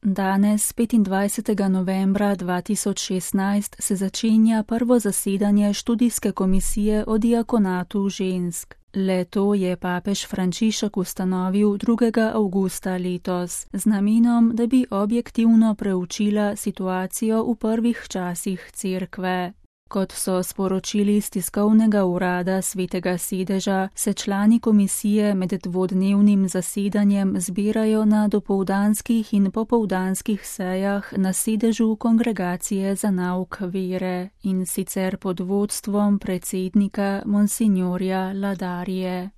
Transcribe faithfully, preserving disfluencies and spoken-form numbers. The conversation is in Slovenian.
Danes, petindvajsetega novembra dva tisoč šestnajst, se začenja prvo zasedanje študijske komisije o diakonatu žensk. Le-to je papež Frančišek ustanovil drugega avgusta letos, z namenom, da bi objektivno preučila situacijo v prvih časih Cerkve. Kot so sporočili iz tiskovnega urada Svetega sedeža, se člani komisije med dvodnevnim zasedanjem zbirajo na dopoldanskih in popoldanskih sejah na sedežu Kongregacije za nauk vere, in sicer pod vodstvom predsednika monsinjorja Ladarije.